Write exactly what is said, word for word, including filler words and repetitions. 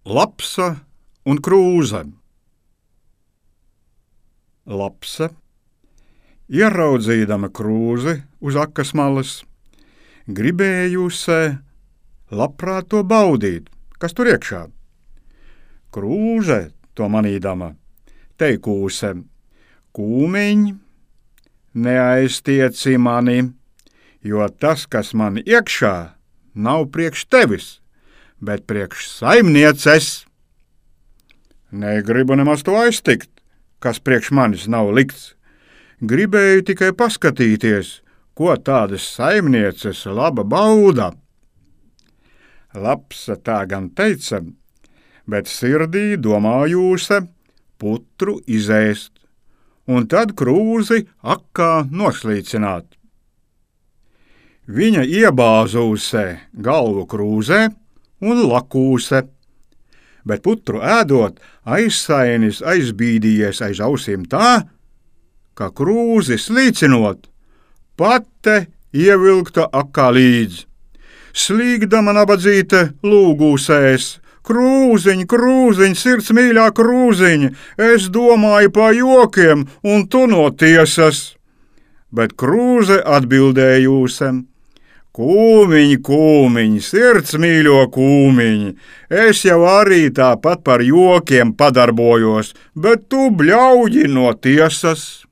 Lapsa un krūze. Lapsa, ieraudzīdama krūzi uz akas malas, gribējusē labprāt to baudīt, kas tur iekšā. Krūze, to manīdama, teikūse: kūmiņ, neaiztieci mani, jo tas, kas man iekšā, nav priekš tevis, bet priekš saimnieces. Negribu nemaz to aiztikt, kas priekš manis nav likts. Gribēju tikai paskatīties, ko tādas saimnieces laba bauda. Lapsa tā gan teica, bet sirdī domājūse putru izēst, un tad krūzi akā noslīcināt. Viņa iebāzūse galvu krūzē un lakūse, bet putru ēdot aizsainis aizbīdījies aiz ausīm tā, ka krūzi slīcinot, pate ievilkta akā līdz. Slīgdama nabadzīte lūgūsēs: krūziņ, krūziņ, sirds mīļā krūziņ, es domāju pa jokiem, un tu no tiesas. Bet krūze atbildējūsem: kūmiņ, kūmiņ, sirds mīļo kūmiņ, es jau arī tāpat par jokiem padarbojos, bet tu bļauji no tiesas.